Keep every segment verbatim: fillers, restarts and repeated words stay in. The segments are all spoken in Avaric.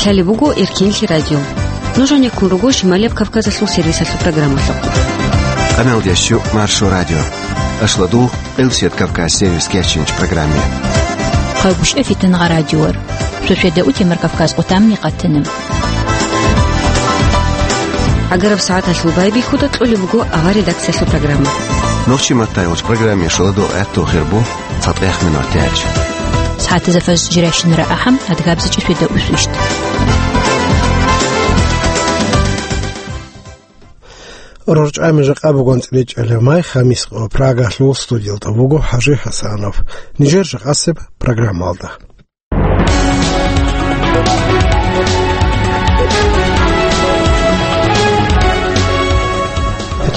Лъалеб буго Эркенлъи радио. Нуж гьанеккун руго Шималияб Кавказалъул сервисалъул программалъухъ. Къамелдещу Маршо радио. Ашладу Элсет Кавказ сервис кечинч программе. Хъагушев Фитнагъа радиор. Шошведа Утемар Кавказ къутамни къатана. Агараб сагӀаталъул байбихьуда кьолеб буго авар редакциялъул программа. Нохчи маттайолч программе шаладу гӀатту хирбу. ЦатӀех минут тяч. СагӀатазда фаз жиращинара ахӀам, адгабзичӀи светда усвищт. РорчӀами жакъа бугон цӀречӀалев май, хамис къо, Прагалъул студиялда буго ХӀажи ХӀасанов. Нижер жакъасеб программалда.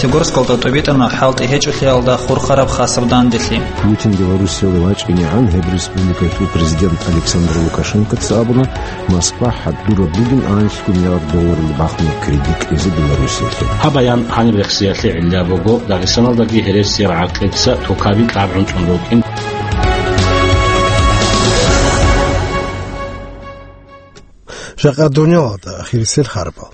Пятигорскалда тӀубитӀана хӀалтӀи гьечӀолъиялда хурхараб хасаб данделъи. Путин Белоруссиялда вачӀинегӀан гьеб республикалъул президент Александр Лукашенкоца абуна, Москва хӀадураб бугин анлъго миллиард долларалда бахунеб кредит кьезе Белоруссиялъе. Гьаб баян гьаниб рехсиялъе гӀилла буго, Дагъистаналдаги гьересияб гӀакъица тукаби кьабгӀунчӀун рукӀин. Жакъа дунялалда ахирисел харбал.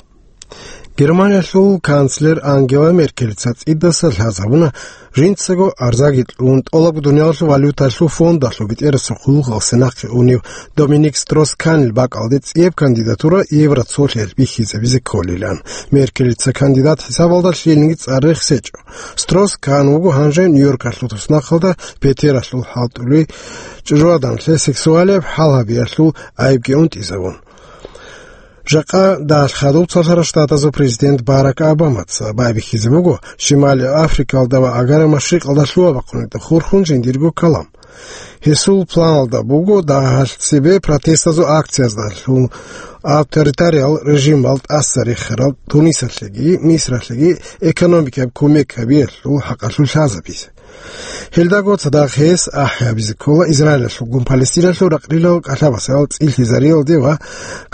Германиялъул канцлер Ангела Меркелица цӀидаса лъазабуна, жинцаго арзаги кьун, тӀолабго дунялалъул валюталъул фондалъул бетӀерасухъ хъулухъалъе нахъе унев Доминик Стросс-Канил бакӀалде цӀияб кандидатура Евроцолъиялъ бихьизабизе кколилан. Меркелица кандидат хӀисабалда лъилниги цӀар рехсечӀо. Стросс-Кан вуго гьанже Нью-Йоркалъул туснахъалда петералъул хӀалтӀулей чӀужугӀаданлъе сексуалияб хӀал гьабиялъул гӀайибги унтӀизавун. Жакъа дагьалъ хадуб цолъарал штатазул президент Барак Обамаца байбихьизе буго Шимали Африкалда ва Агара Машрикъалда лъугьа-бахъунилда хурхун жиндирго калам. Гьесул планалда буго дагьалъ цебе протестазул акцияздалъун авторитариял режимал тӀаса рехарал Тунисалъеги Мисралъеги экономикаяб кумек гьабиялъул хӀакъалъулъ лъазабизе. Гьелдаго цадахъ гьес ахӀи гьабизе ккола Израилалъулгун Палестиналъул ракълилал кӀалъабасал цӀилъизариялде ва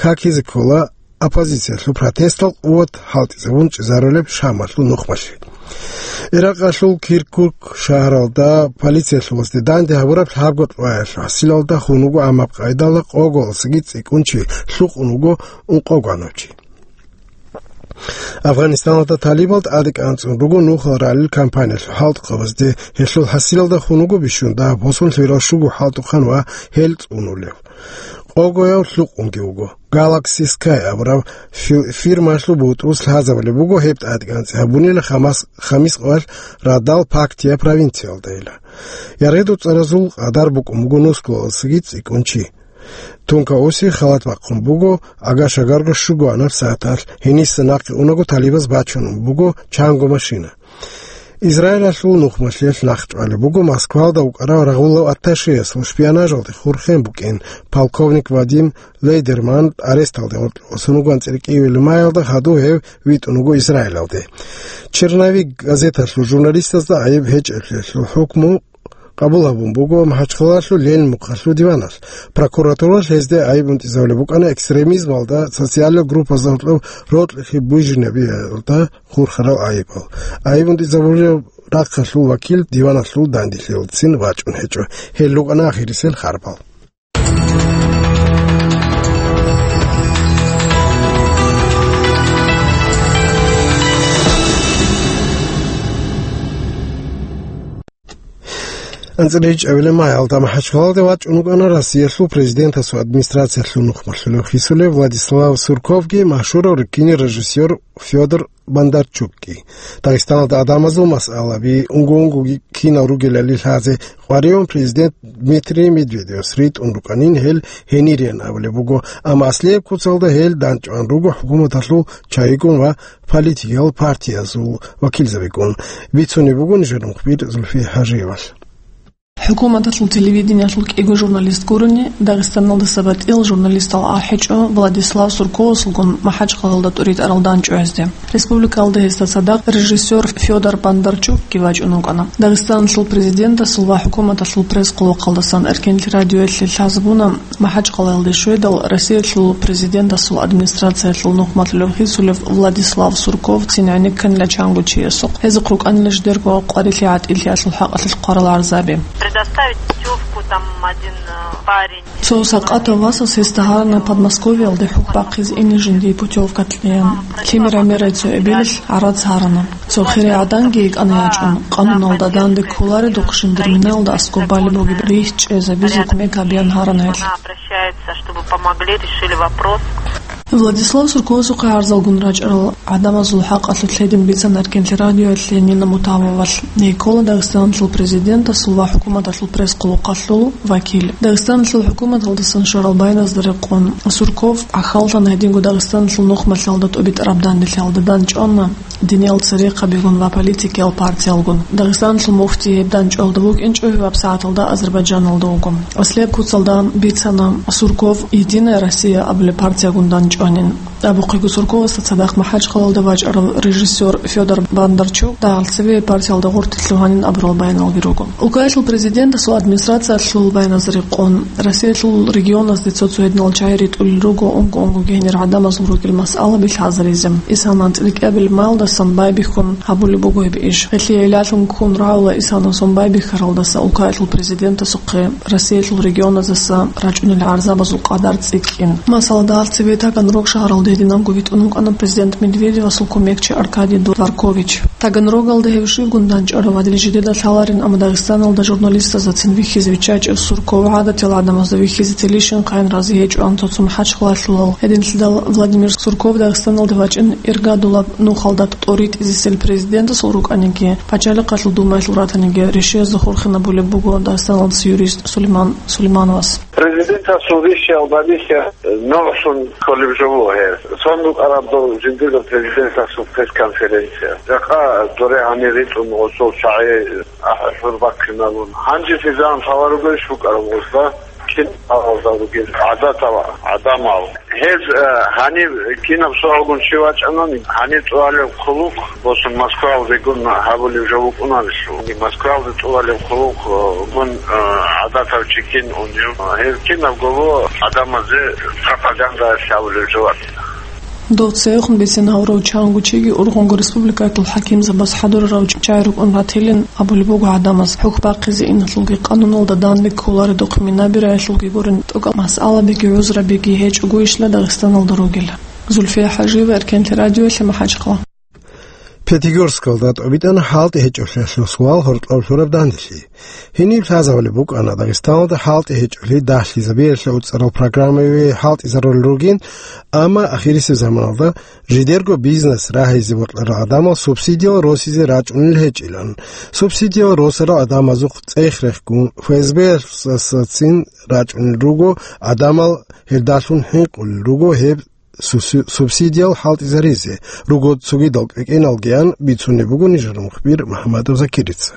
какизе ккола оппозициялъул протестал къуват хӀалтӀизабун чӀезарулеб Шамалъул нухмалъи. Иракъалъул Киркук шагьаралда полициялъулазде данде гьабураб лъабго къваялъул хӀасилалда хун вуго, амма къайдала къоголасаги цӀикӀкӀун чи лъукъун вуго, ункъого гьанав чи. Афганистаналда талибал тӀаде кӀанцӀун руго нухал ралел кампаниялъул хӀалтӀухъабазде, гьелъул хӀасилалда хун вуго бищун дагьаб босун лъугьарал щуго хӀалтӀухъан ва гьел цӀунулев. Къогояв лъукъунги вуго. Galaxy Sky абураб фи-, фирмалъул бутӀрус лъазабулеб буго гьеб тӀадекӀанцӀи гьабунила Хамас-, Хамис къоялъ радал Пактия провинциялдайила. Яргъи дуцӀаразул къадар букӀун буго нусгулалдасаги цӀикӀкӀун чи. Тункаоси халат бахъун буго, агашагарго щуго анаб сагӀаталъ, гьениса нахъе унаго талибаз бачун буго чанго машина. Израилалъул нухмалъиялъ нахъчӀвалеб буго Москвалда вукӀарав рагъулав атташеясул шпионажалде хурхен букӀин полковник Вадим Лейдерман аресталде гъоркье вуссун вугоан цӀеркӀивил маялда хадув гьев витӀун вуго Израилалде. Черновик газеталъул журналистазда гӀайиб гьечӀеблъиялъул хӀукму къабул гьабун буго МахӀачхъалалъул Ленин мухъалъул диваналъ. Прокуратуралъ гьезде гӀайиб унтӀизабулеб букӀана экстремизмалда, социальный группазда гьоркьоб рокьи бужинариялда хурхарал гӀайибал. ГӀайиб унтӀизабулеб рахъалъул вакил диваналъул данделъиялдацин вачӀун гьечӀо. Гьел рукӀана ахирисел харбал. АнцӀила гьечӀебилеб маялда МахӀачхъалалде вачӀун вукӀана Россиялъул президентасул администрациялъул нухмалъулев хисулев Владислав Сурковги машгьурав кинорежиссёр Фёдор Бондарчукги. Дагъистаналда гӀадамазул масъалаби унго-унгоги кинал ругелали лъазе къваригӀун президент Дмитрий Медведевас ритӀун рукӀанин гьел гьенириян абулеб буго, амма аслияб куцалда гьел данчӀван руго хӀукуматалъул чагӀигун ва политикиял партиязул вакилзабигун. Бицунеб буго нижер мухбир Зульфия ХӀажиевалъ. ХӀукуматалъул телевидениялъул кӀиго журналист гурони, Дагъистаналдаса батӀиял журналистал ахӀичӀо Владислав Сурковасулгун МахӀачхъалалда тӀуритӀарал данчӀвазде. Республикалда гьесда цадахъ режиссёр Фёдор Бондарчукги вачӀун вукӀана. Дагъистаналъул президентасул ва хӀукуматалъул пресс-къулухъалдасан Эркенлъи радиоялъе лъазабуна, МахӀачхъалаялде щведал Россиялъул президентасул администрациялъул нухмалъулев хисулев Владислав Сурков цин гӀенекканила чанго чиясухъ. Гьезухъ рукӀанила жидерго къварилъи гӀатӀилъиялъул хӀакъалъулъ хъварал гӀарзаби. Предоставить всю Там один, э, парень. Цо сакъатав васас гьесда гьарана Подмосковьялде хӀухь бахъизе ине жиндие путевка кьеян. Лъимер гӀемерай цо эбелалъ гӀарац гьарана. Цо хирияв гӀаданги йикӀана ячӀун, къануналда данде кколаредухъ жиндир минаялда аскӀоб балеб бугеб рихь чӀезабизе кумек гьабеян гьарана гьелъ. Она обращается, чтобы помогли, решили вопрос. Владислав Сурковасухъе гӀарзалгун рачӀарал гӀадамазул хӀакъалъулъ гьедин бицана Эркенлъи радиоялъе Нина Мутавовалъ. Гьей ккола Дагъистаналъул президентасул ва хӀукуматалъул пресс-къулухъалъул вакил. Дагъистаналъул хӀукуматалдасан щварал байназда рекъон Сурков гӀахьаллъана гьединго Дагъистаналъул нухмалъалда тӀубитӀараб данделъиялда дандчӀвана. Диниял церехъабигун ва политикиял партиялгун. Дагъистаналъул муфти гьеб дандчӀвалда вукӀинчӀо, гьеб сагӀаталда Азербайджаналда вуго. Аслияб куцалда бицана Сурков «Единая Россия» абулеб партиягун дандчӀванин. Абухъего Сурковасда цадахъ МахӀачхъалалда вачӀарав режиссер Федор Бондарчук дагьал цеве партиялда гъоркье лъугьанин абурал баяналги руго. Улкаялъул президентасул администрациялъул байназда рекъон, Россиялъул регионазде цо-цо гьединал чагӀи ритӀулел руго унго-унгоги гьенир гӀадамазул ругел масъалаби лъазаризе. Исана анцӀила кӀиабилеб майилдасан байбихьун гьабулеб буго гьеб иш. Гьелъие гӀиллалъун ккун рагӀула Исана сон байбихьаралдаса улкаялъул президентасухъе Россиялъул регионаздаса рачӀунел гӀарзабазул къадар цӀикӀкӀин. Масала, дагьал цеве Таганрог шагьаралда гьединабго витӀун вукӀана президент Медведевасул кумекчи Аркадий Дворкович. Таганрогалда гьев щибгун дандчӀварав гьадин жидеда лъаларин, амма Дагъистаналда журналистаздацин вихьизе виччачӀев Сурков гӀадатиял гӀадамазда вихьизе телищинхъайин рази гьечӀоан цо-цо МахӀачхъалалъулал. Гьединлъидал Владимир Сурков Дагъистаналде вачӀин иргадулаб нухалда тӀоритӀизесел президентасул рукӀаниги, Пачалихъалъул Думаялъул ратаниги решиязда хурхинабулеб буго Дагъистаналдаса юрист Сулейман Сулеймановас. Президентасул решиял бадихьа нугӀлъун кколеб жо буго гьеб. Цон букӀараб дов жиндирго президентасул пресс-конференция. Жакъа доре гьанир ритӀун гъосул чагӀи ахӀулъур бахъиналун. Гьанже физан лъала ругелищ букӀараб гъосда кин гьалда ругел гӀадатал гӀадамал. Гьез, э, гьаниб кинаб соргъун чи вачӀанани, гьаниб тӀуалев хъулухъ босун Москвалдегун гьабулев жо вукӀунарелъул. Москвалде тӀуалев хъулухъ, э, гун, э, гӀадатав чи кин унев. Гьез кинабго гӀадамазе пропаганда гьабулев жо вачӀана. Дов цевехун бицин гьавурав чанго чиги ургъунго республикаялъул хӀакимзабаз хӀадурарав чагӀи рукӀун ратилин абулеб буго гӀадамаз. ХӀухь бахъизе иналъулги къануналда данде кколаредухъ минабираялъулги гурин тӀокӀаб масъалабиги гӀузрабиги гьечӀогойищила Дагъистаналда ругел. Зульфия ХӀажиева, Эркенлъи радиоялъе, МахӀачхъала. Пятигорскалда тӀубитӀана хӀалтӀи гьечӀолъиялъул суал гьоркьоб лъураб данделъи. Гьениб лъазабулеб букӀана Дагъистаналда хӀалтӀи гьечӀолъи дагьлъизабиялъе уцӀарал программаби хӀалтӀизарулел ругин, амма ахирисеб заманалда жидерго бизнес рагьизе бокьарал гӀадамал субсидиял росизе рачӀунел гьечӀилан. Субсидиял росарал гӀадамазухъ цӀех-рехгун ФСБ-ясацин рачӀунел руго гӀадамал, гьелдалъун хӀинкъулел руго гьеб су-, су-, субсидиял хӀалтӀизаризе, руго цогидал кӀикӀиналгиян бицунеб буго нижер мухбир МухӀамадов Закирица.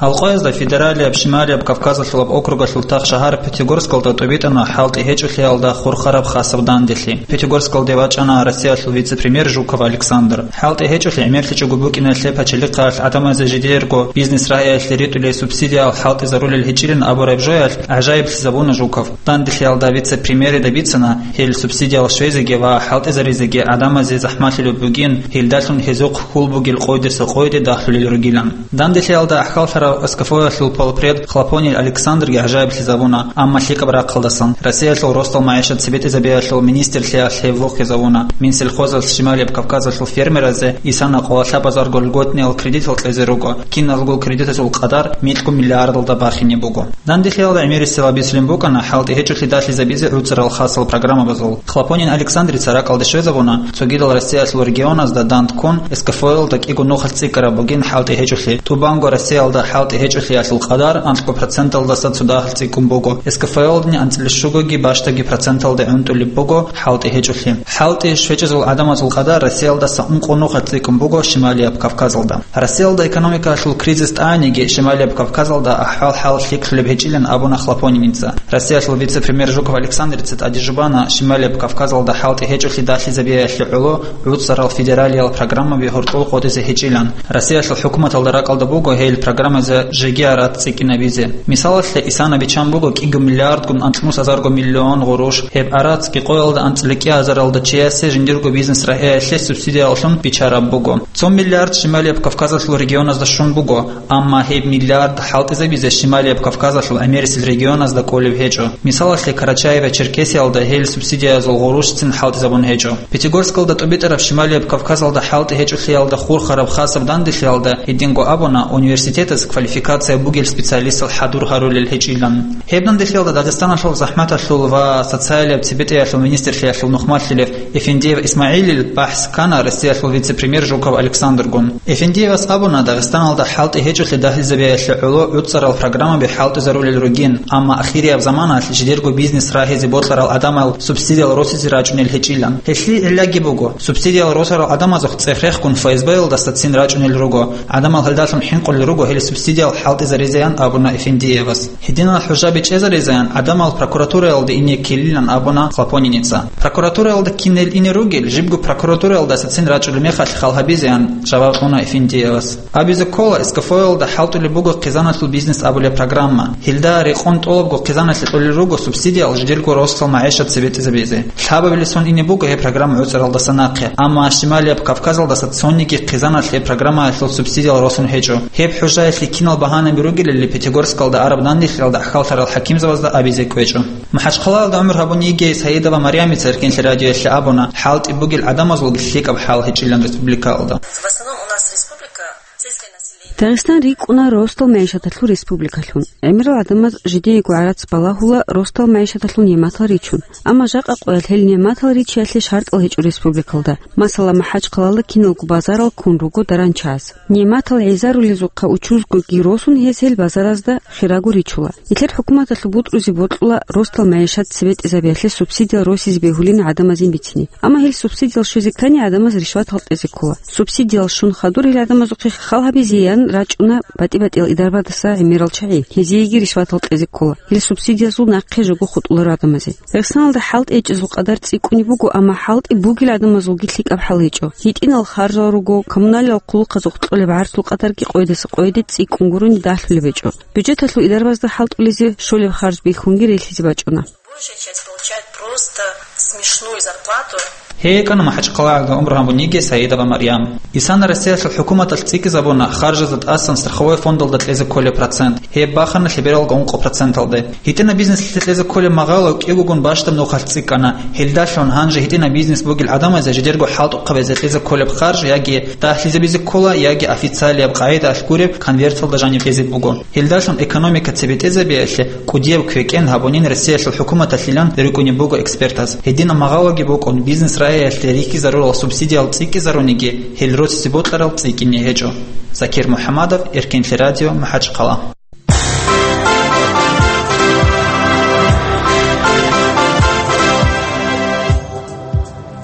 Гьалкъоязда федералияб Шималияб Кавказалъулаб округалъул тахшагьар Пятигорскалда тӀубитӀана хӀалтӀи гьечӀолъиялда хурхараб хасаб данделъи. Пятигорскалде вачӀана Россиялъул вице-премьер Жуков Александр. ХӀалтӀи гьечӀолъи гӀемерлъичӀого букӀиналъе пачалихъалъ гӀадамазе жидерго бизнес рагьиялъе ритӀулей субсидиял хӀалтӀизарулел гьечӀилин абураб жоялъ гӀажаиблъизабуна Жуков. Данделъиялда вице-премьерида бицана, гьел субсидиял щвезеги ва хӀалтӀизаризеги гӀадамазе захӀмалъулеб бугин, гьелдалъун гьезухъ хьул бугел къойдаса къойде дагьлъулел ругилан. Данделъиялда ахӀаллъарав СКФО-ялъул полпред Хлопонин Александрги гӀажаиблъизабуна, амма лъикӀаб рахъалдасан, Россиялъул росдал магӀишат цебетӀезабиялъул министрлъиялъ гьев вохизавуна. Минсельхозалъ Шималияб Кавказалъул фермеразе исана къоло лъабазарго льготниял кредитал кьезе руго, киналго кредитазул къадар микьго миллиардалда бахине буго. Данделъиялда гӀемерисела бицунеб букӀана хӀалтӀи гьечӀолъи дагьлъизабизе гӀуцӀарал хасал программабазул. Хлопонин Александрица ракӀалде щвезабуна, цогидал Россиялъул регионазда дандккун СКФО-ялда кӀиго нухалъ цӀикӀкӀараб бугин хӀалтӀи гьечӀолъи. ТӀубанго Россиялда хӀалтӀи гьечӀолъиялъул къадар анкьго проценталдаса цо дагьалъ цӀикӀкӀун буго. СКФО-ялдани анцӀила щугоги бащдаги проценталде гӀунтӀулеб буго хӀалтӀи гьечӀолъи. ХӀалтӀи щвечӀезул гӀадамазул къадар Россиялдаса ункъо нухалъ цӀикӀкӀун буго Шималияб Кавказалда. Россиялда экономикалъул кризис тӀаниги, Шималияб Кавказалда ахӀвал-хӀал лъикӀлъулеб гьечӀилан абуна Хлопониница. Россиялъул вице-премьер Жуков Александрица тӀаде жубана Шималияб Кавказалда хӀалтӀи гьечӀолъи дагьлъизабиялъе гӀоло гӀуцӀарал федералиял программаби гьоркьул къотӀизе гьечӀилан. Россиялъул хӀукуматалда ракӀалда буго гьел программазе жеги гӀарац цӀикӀкӀинабизе. Мисалалъе, исана биччан буго кӀиго миллиардгун анцӀнус азарго миллион гъурущ, гьеб гӀарацги къоялда анцӀила кӀиазаралда чиясе жиндирго бизнес рагӀиялъе субсидиялъун биччараб буго. Цо миллиард Шималияб Кавказалъул регионазда щун буго, амма гьеб миллиард хӀалтӀизабизе Шималияб Кавказалъул гӀемерисел регионазда кӀолеб гьечӀо. Мисалалъе, Карачаево-Черкесиялда гьел субсидиязул гъурущцин хӀалтӀизабун гьечӀо. Пятигорскалда тӀубитӀараб Шималияб Кавказалда хӀалтӀи гьечӀолъиялда хурхараб хасаб данделъиялда гьединго абуна, университетас квалификация бугел специалистал хӀадур гьарулел гьечӀилан. Гьеб данделъиялда Дагъистаналъул захӀматалъул ва социалияб цебетӀеялъул министрлъиялъул нухмалъилев Эфендиев ИсмагӀилил бахӀс ккана Россиялъул вице-премьер Жуков Александргун. Эфендиевас абуна, Дагъистаналда хӀалтӀи гьечӀолъи дагьлизабиялъе гӀоло гӀуцӀарал программаби хӀалтӀизарулел ругин, амма ахирияб заманалъ жидерго бизнес рагьизе бокьарал гӀадамал субсидиял росизе рачӀунел гьечӀилан. Гьелъие гӀиллаги буго, субсидиял росарал гӀадамазухъ цӀех-рехгун ФСБ-ялдасацин рачӀунел руго, гӀадамал гьелдалъун хӀинкъулел руго гьел субсидиял хӀалтӀизаризеян абуна Эфендиевас. Гьединал хӀужаби чӀезаризеян гӀадамал прокуратураялде ине ккелилан абуна Хлопониница. Прокуратураялда кинел ине ругел, жибго прокуратураялдасацин рачӀулеб мехалъ хал гьабизеян жаваб кьуна Эфендиевас. Абизе ккола, СКФО-ялда хӀалтӀулеб буго хъизаналъул бизнес абулеб программа. Гьелда рекъон тӀолабго хъизаналъе кьолел руго субсидиял жидерго росдал магӀишат цебетӀезабизе. Лъабабилеб сон ине буго гьеб программа гӀуцӀаралдаса нахъе, амма Шималияб Кавказалдаса цониги хъизаналъ гьеб программаялъул субсидиял росун гьечӀо. Гьеб хӀужаялъе кинал багьанаби ругелали Пятигорскалда араб данделъиялда ахьаллъарал хӀакимзабазда абизе кӀвечӀо. МахӀачхъалаялда гӀумру гьабун йигей Саидова Марямица Эркенлъи радиоялъе абуна, хӀалтӀи бугел гӀадамазулги лъикӀаб хӀал гьечӀилан республикаялда. В основном у нас республика сельское население. Дагъистан рикӀкӀуна росдал магӀишаталъул республикалъун. ГӀемерал гӀадамаз жидеего гӀарац балагьула росдал магӀишаталъул нигӀматал ричун. Амма жакъа къоялъ гьел нигӀматал ричиялъе шартӀал гьечӀо республикалда. Масала, МахӀачхъалаялда киналго базарал ккун руго даранчияс. НигӀматал гӀезарулезухъа учузгоги росун гьез гьел базаразда хирабго ричула. Нилъер хӀукуматалъул бутӀрузе бокьула росдал магӀишат цебетӀезабиялъе субсидиял росизе бегьулин гӀадамазин бицине. Амма гьел субсидиял щвезе ккани гӀадамаз ришватал кьезе ккола. Субсидиял щун хадур гьел гӀадамазухъе хал гьабизеян рачӀуна батӀи-батӀиял идарбадаса гӀемерал чагӀи. Гьезиеги ришватал кьезе ккола. Гьел субсидиязул нахъе жого хутӀуларо гӀадамазе. Дагъистаналда хӀалтӀи гьечӀезул къадар цӀикӀкӀунеб буго, амма хӀалтӀи бугел гӀадамазулги лъикӀаб хӀал гьечӀо. ГьитӀинал харжал руго, коммуналияб хъулухъазухъ кьолеб гӀарцул къадарги къоядаса къояде цӀикӀкӀунгурун дагьлъулеб гьечӀо. Бюджеталъул идарбазда хӀалтӀулезе щолеб харж бихьунги релълъизе бачӀуна. Большая часть получает просто смешную зарплату. Гьей ккана МахӀачхъалаялда гӀумру гьабун йигей Саидова Марьям. Исана Россиялъул хӀукуматалъ цӀикӀкӀинабуна харжазда тӀасан страховой фондалда кьезе кколеб процент. Гьеб бахана лъебералго ункъо проценталде. ГьитӀинаб бизнеслъе кьезе кколеб магъало кӀиго гун бащдаб нухалъ цӀикӀкӀана. Гьелдалъун гьанже гьитӀинаб бизнес бугел гӀадамазе жидерго хӀалтӀухъабазе кьезе кколеб харж яги дагьлъизабизе ккола, яги официалияб къагӀидаялъ гуреб конверталда жаниб кьезе буго. Гьелдалъун экономика цебетӀезабиялъе кӀудияб квекӀен гьабунин Россиялъул хӀукуматалъилан рикӀкӀунеб буго экспертаз. Гьединаб магъалоги букӀун, бизнес рагӀиялъе рихьизарурал субсидиял цӀикӀкӀизаруниги, гьел росизе бокьарал цӀикӀкӀине гьечӀо. Закир МухӀаммадов, Эркенлъи радио, МахӀачхъала.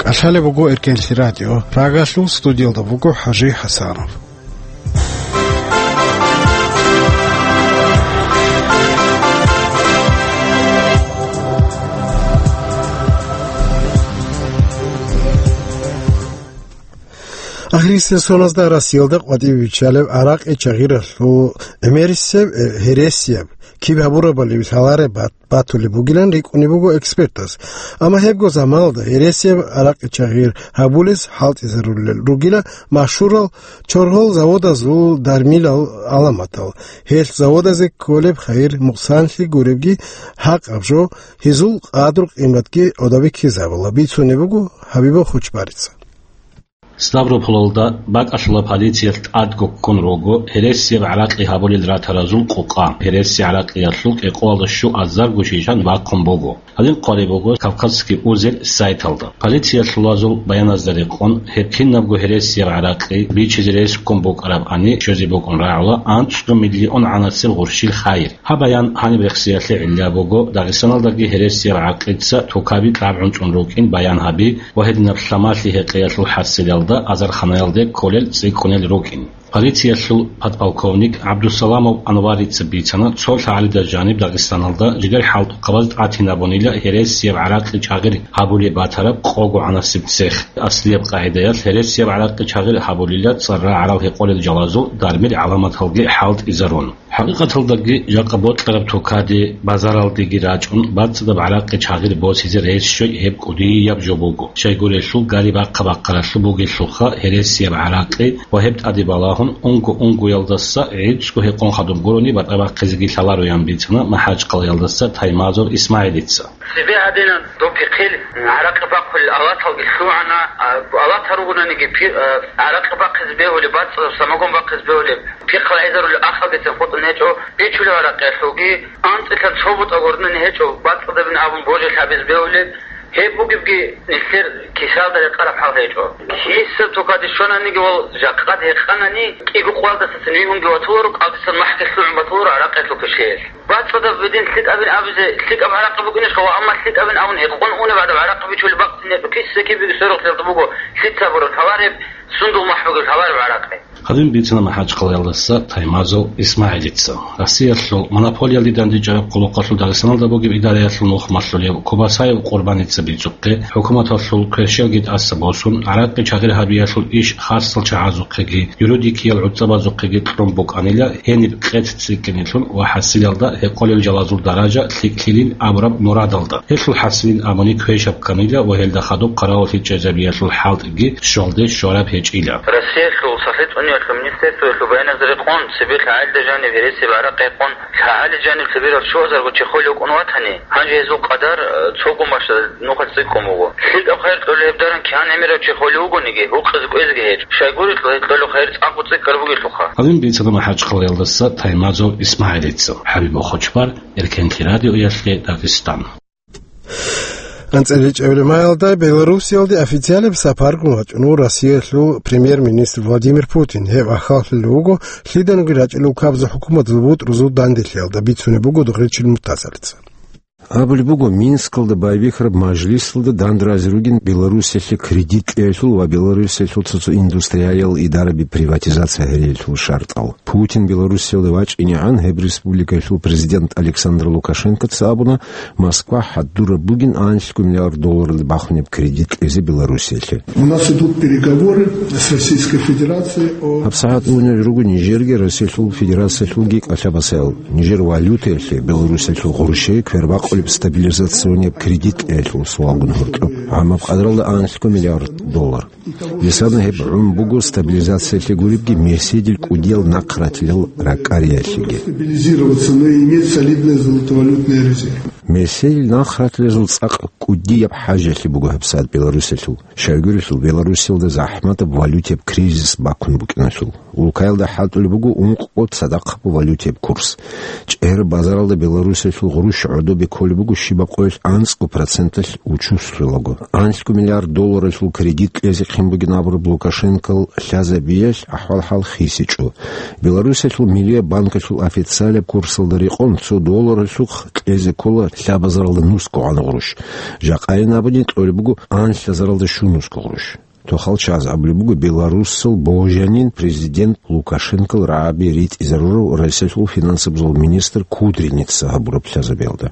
КӀалъалеб буго Эркенлъи радио. Прагалъул студиялда буго ХӀажи ХӀасанов. Ахирисеб соназда Россиялда къватӀибе биччалеб гӀаракъи чагъиралъул гӀемерисеб, э, гьересияб, киб гьабурабали лъалареб бат-, батулеб бугилан рикӀкӀунеб буго экспертаз. Амма гьебго заманалда гьересияб гӀаракъи чагъир гьабулес хӀалтӀизарулел ругила машгьурал чорхол заводазул дармилал гӀаламатал. Гьелъ заводазе кколеб хайир мукъсанлъи гуребги гьакъаб жо, гьезул къадру-къиматги гӀодобиккизабула, бицунеб буго Хабибов Хучбарица. Ставрополалда бакӀалъула полициялъ тӀадго ккун руго гьересияб гӀаракъи гьабулел ратаразул къукъа. Гьереси гӀаракъиялъул кӀикъоялда щуазарго шишан бахъун буго. Гьадин хъвалеб буго Кавказский узел сайталда. Полициялъулазул баяназда рекъон, гьеб кинабго гьересияб гӀаракъи бичизе рес ккун букӀарабани щвезе букӀун рагӀула анцӀго миллион гӀанасел гъурщил хайир. Гьаб баян гьаниб рехсиялъе гӀилла буго, Дагъистаналдаги гьересияб гӀаракъица тукаби кьабгӀун цӀун рукӀин баян гьаби ва гьединаб лъамалъи-гьекъеялъул хӀасилалда азарханаялде кколел цӀикӀкӀунел рукӀин. Полициялъул подполковник ГӀабдусаламов Анварица бицана, цо лъагӀалида жаниб Дагъистаналда жидер хӀалтӀухъабаз тӀатинабунила гьересияб гӀаракъи чагъир гьабулеб батараб къого гӀанасеб цех. Аслияб къагӀидаялъ гьересияб гӀаракъи чагъир гьабулила цӀар-рагӀарал гьекъолел жалазул дармил гӀаламаталги хӀалтӀизарун. ХӀакъикъаталдаги жакъа бокьараб тукаде, базаралдеги рачӀун, бацӀцӀадаб гӀаракъи чагъир босизе рес щвей гьеб кӀудияб жо буго. Щайгурелъул, гари бахъа-бахъаралъуб бугелъулха гьересияб гӀаракъи ва гьеб тӀаде балагьун, унго-унгоялдаса гӀицӀго гьекъон хадуб гурони батӀа бахъизеги лъалароян бицана МахӀачхъалаялдаса Таймазов ИсмагӀилица. Цебе гьадинан доб пихъил гӀаракъи бахъулел алаталги лъугӀана, а, алатал ругонаниги пи-, а, гӀаракъи бахъизе бегьулеб, бацӀцӀадаб самогон бахъизе бегьулеб, пихъал гӀезарулел ахалдецин хутӀун гьечӀо, бичулеб гӀаракъиялъулги, анцӀила цо бутӀа гурнани гьечӀо, бацӀцӀадабин абун божи лъабизе бегьулеб, гьеб бугебги нилъер кисалда рекъараб хӀал гьечӀо. Киса тукаде щонаниги ва жакъад гьекъанани, кӀиго къвалдасацин вигьунги ватуларо, кӀалдисан махӀги лъугӀун батуларо гӀаракъиялъул пишиялъ. БацӀцӀадаб бедин лъикӀабин абизе, лъикӀаб гӀаракъи букӀинищ ва, амма лъикӀабин абун гьекъон унеб гӀадаб гӀаракъи бичулеб бакӀцӀинеб, киса-кибеги сверухълъиялда буго, лъица гьабураб лъалареб, сундул махӀ бугеб лъалареб гӀаракъи. Гьадин бицана МахӀачхъалаялдаса Таймазов ИсмагӀилица. Россиялъул монополиялде дандечӀараб къулухъалъул Дагъистаналда бугеб идараялъул нухмалъулев Кубасаев Къурбаница бицухъе, хӀукуматалъул кверщелги тӀаса босун, гӀаракъи чагъир гьабиялъул иш хасал чагӀазухъеги, юридикиял гӀуцӀабазухъеги кьун букӀанила гьениб къец цӀикӀкӀинелъул ва хӀасилалда гьекъолел жалазул даража лъикӀлъилин абураб мурадалда. Гьелъул хӀасилин абуни квешаб кканила ва гьелда хадуб хъаравуллъи чӀезабиялъул хӀалтӀиги щвалде щвараб гьечӀила. Россиялъул сахлъи цӀуниялъул министерствоялъул баяназда рекъон, цебе лъагӀалида жаниб гьересияб гӀаракъи гьекъон, лъагӀалида жаниб цебе ралъуазарго чи холев вукӀун ватани, гьанже гьезул къадар, э, цого машина нухалъ цӀикӀкӀун буго. ЛъикӀаб хайир кьолеб даран кигӀан гӀемерав чи холев вугониги, гьукъизе кӀвезеги гьечӀо. Щайгурелъул, гьеб кьолеб хайир цӀакъго цӀикӀкӀараб бугелъулха. Гьадин бицана МахӀачхъалаялдаса Таймазов ИсмагӀилица. ХӀабиб Бохочбар, Эркенлъи радиоялъе, Дагъистан. АнцӀила чӀегӀлимаялда Белоруссиялде официалаб сапаргун вачӀун вуго Россиялъул премьер-министр Владимир Путин. Гьев ахаллъулев вуго лъиданиги рачӀунел ккабазул хӀукуматалъул бутӀрузул данделъиялда, бицунеб буго Дугъричил Муртазалица. Абулеб буго, Минскалда байбихьараб мажлисалда данде рази ругин Белоруссиялъе кредит кьеялъул ва Белоруссиялъул цо-цо индустриялиял идараби приватизация гьариялъул шартӀал. Путин Белоруссиялде вачӀинегӀан гьеб республикаялъул президент Александр Лукашенкоца абуна, Москва хӀадураб бугин анлъго миллиард долларалде бахунеб кредит кьезе Белоруссиялъе. У нас идут переговоры с Российской Федерацией о... ГьабсагӀат унел руго Нижерги Россиялъул Федерациялъулги кӀалъабасаял. Нижер валютаялъе Белоруссиялъул гъурущее квербакъулеб стабилизационияб кредит кьеялъул суалгун гьоркьоб. ГӀамаб къадралда анлъго миллиард доллар. Гьесда гьеб гӀун буго стабилизациялъе гуребги меседил кӀудиял нахъратилал ракӀариялъеги. Стабилизироваться, но и иметь солидные золотовалютные резервы. Меседил нахъратилазул цӀакъ кӀудияб хӀажалъи буго гьабсагӀат Белоруссиялъул. Щайгурелъул, Белоруссиялда захӀматаб валютияб кризис бахъун букӀиналъул. Улкаялда хӀалтӀулеб буго ункъго цадахъаб валютияб курс. ЧӀегӀер базаралда Белоруссиялъул гъурущ гӀодобе кколеб буго щибаб къоялъ анцӀго проценталъ учуслъулаго. Анлъго миллиард долларалъул кредит кьезе хъин бугин абураб Лукашенкол лъазабиялъ ахӀвал-хӀал хисичӀо. Белоруссиялъул Миллияб банкалъул официалаб курсалда рекъон цо долларалъухъ кьезе ккола лъабазаралда нусго гӀан гъурущ. Жакъайин абуни кьолеб буго анлъазаралда щунусго гъурущ. Тохал чагӀаз абулеб буго Белоруссал божанин президент Лукашенкол рагӀаби ритӀизарурав Россиялъул финансабазул министр Кудриница гьабураб лъазабиялда.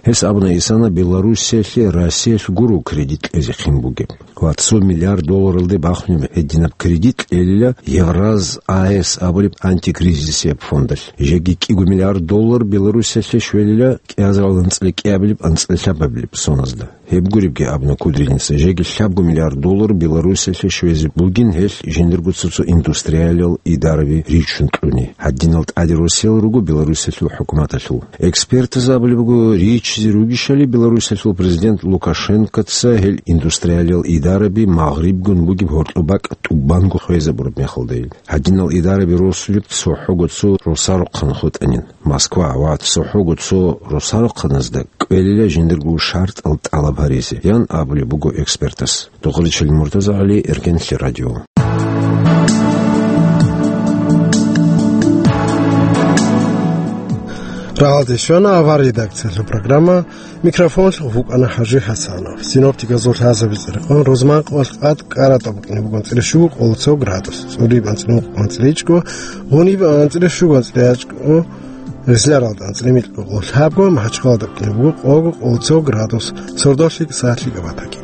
Гьес абуна, исана Белоруссиялъе Россиялъ гуро кредит кьезе хъин бугеб. Ва цо миллиард долларалде бахунеб гьединаб кредит кьелила Евраз А С абулеб антикризисияб фондалъ. Жеги кӀиго миллиард доллар Белоруссиялъе щвелила кӀиазарал анцӀила кӀиабилеб анцӀила лъабабилеб соназда. Гьеб гуребги абуна Кудриница, жеги лъабго миллиард доллар Белоруссиялъе щвезе бугин гьелъ жиндирго цо-цо индустриялиял идараби ричун кьуни. Гьадинал тӀаде росиялал руго Белоруссиялъул хӀукуматалъул. Экспертаз абулеб буго, ричизе ругищали Белоруссиялъул президент Лукашенкоца гьел индустриялиял идараби Магърибгун бугеб гьоркьоб бакӀ тӀубанго хвезабураб мехалдайин. Гьадинал идараби росулеб цохӀого цо росарухъан хутӀанин. Москва ва цохӀого цо росарухъаназда кӀвелила жиндирго шартӀал тӀалаб гьаризе, ян абулеб буго экспертас. Дугъричил Муртазагьали, Эркенлъи радио. Рагьалде щвана авар редакциялъул программа, микрофонлъухъ вукӀана ХӀажи ХӀасанов. Синоптиказул лъазабиз рекъон рузман къоялъ къад кӀаратӀа букӀине бугун анцӀила щуго къоло цо градус, цӀулиб анцӀила мукъ анцӀила ичӀго, гъуниб анцӀила щуго анцӀила ячӀго, Ризларалда анцӀила микьго къоло лъабго, МахӀачхъалада букӀине буго къого къоло цо градус, сордолъи сахлъи габатаги.